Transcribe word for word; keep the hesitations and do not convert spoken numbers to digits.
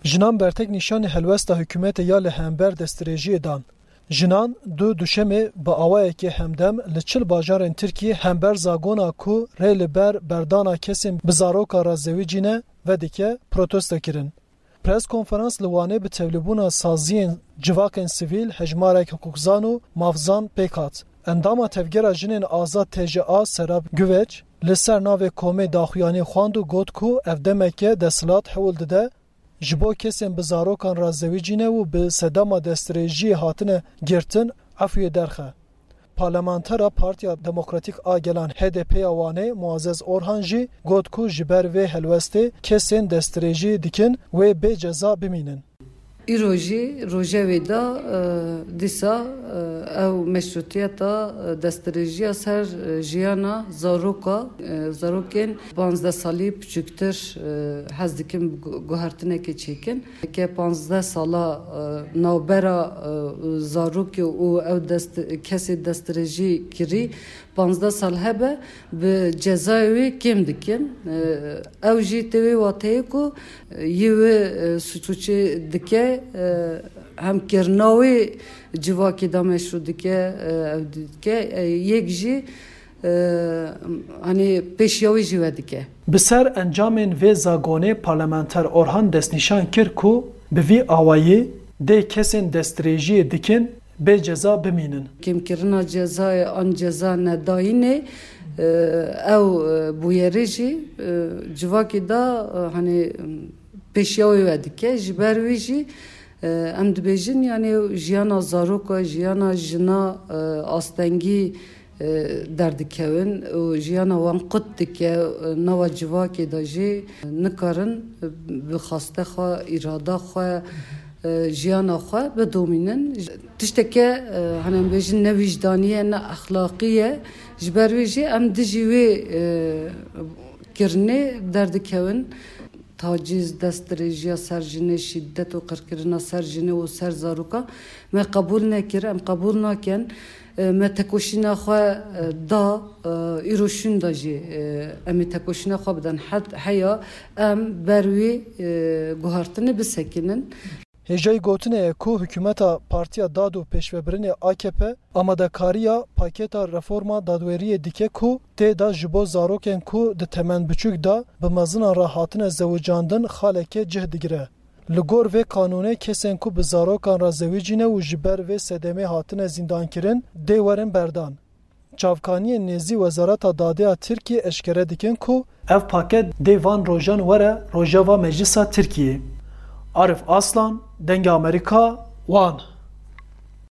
Jinan bertek nîşanî helwesta hikûmetê ya li hember destdirêjiyê dan. Jinan du Duşemê bi awayekî hemdem li çil bajarên Tirkiyê hember zagona ku rê li ber berdana kesên bi zaroka re zewicî ne vedike protesto kirin. Pres konferans li Wanê bi tevlîbûna saziyên civakên sivîl, hejmarek hiqûqzan û mafzan pêk hat. Endama Tevgera Jinên Azad T J A Serap Güveç li ser navê komê daxuyanî xwend û got ku ev demeke desthilat hewl dide ji bo kesên bi zarokan re zewicîne û bi sedema destdirêjiyê hatine girtin efûyê derxe. Parlamentera Partiya Demokratîk a Gelan H D P ya Wanê Muazzez Orhan jî got ku ji ber vê helwestê kesên destdirêjî dikin wê bê ceza bimînin. Îro jî rojevê de, e, dîsa, e, ew meşrûtiyeta, e, destdirêjiya ser, e, jiyana zaroka, e, zarokên panzdeh salî piçûktir, e, hez dikin bi gu-, guhertinekê çêkin. Ke panzdeh sala, e, navbera, e, zarokê û ew dest-, kesê destdirêjî kirî, panzdeh sal hebe, bi cezayê wê kêm dikin. E, ew jî tê wê wateyê ku, e, yê wê, e, suçûçî dike, e, hem kirina wê civakê de meşrû dike, e, ew dike, e, yek jî, e, hani pêşiya wê jî vedike. Bi ser encamên vê zagonê parlamenter Orhan destnîşan kir ku bi vî awayî dê kesên destdirêjiyê dikin bê ceza bimînin. Kêmkirina cezayê an ceza nedayînê, e, ew, e, bûyerê jî, e, civakê de, e, hani, pêşiya wê vedike. Ji ber wî jî, e, em dibêjin, yani, jiyana zaroka, jiyana jina, e, astengî, e, derdikevin û jiyana wan qut dike, e, nava civakê de jî nikarin, e, bi xaste xwe, îrada xwe, e, jiyana xwe bidomînin. Tişteke, e, hani em bêjin ne wîcdanî ye, ne exlaqî ye. Ji ber wê jî em dijî wê, e, kirinê derdikevin. Tacîz, destdirêjiya ser jinê, şîdet û qirkirina ser jinê û ser zaroka me qebûl nekir, em qebûl nakin. E, me tekoşîna xwe, e, da, e, îro şûnda jî, e, em ê tekoşîna xwe bidin. Het heya em ber wî, e, guhartinê bisekinin. Hêjayî gotinê ye ku hikûmeta Partiya Dad û Pêşvebirinê A K P amadekariya paketa reforma dadweriyê dike ku tê de ji bo zarokên ku di temenbiçûk de bi mezinan re hatine zewicandin xaleke cih digire. Li gor vê qanûnê kesên ku bi zarokan re zewicîne û ji ber vê sedemê hatine zîndankirin dê werin berdan. Çavkaniyên nêzî Wezareta Dadê ya Tirkiyê eşkere dikin ku ev paket dê van rojan were rojeva Meclisa Tirkiyê. Arif Aslan, Dengê Amerîka, Wan.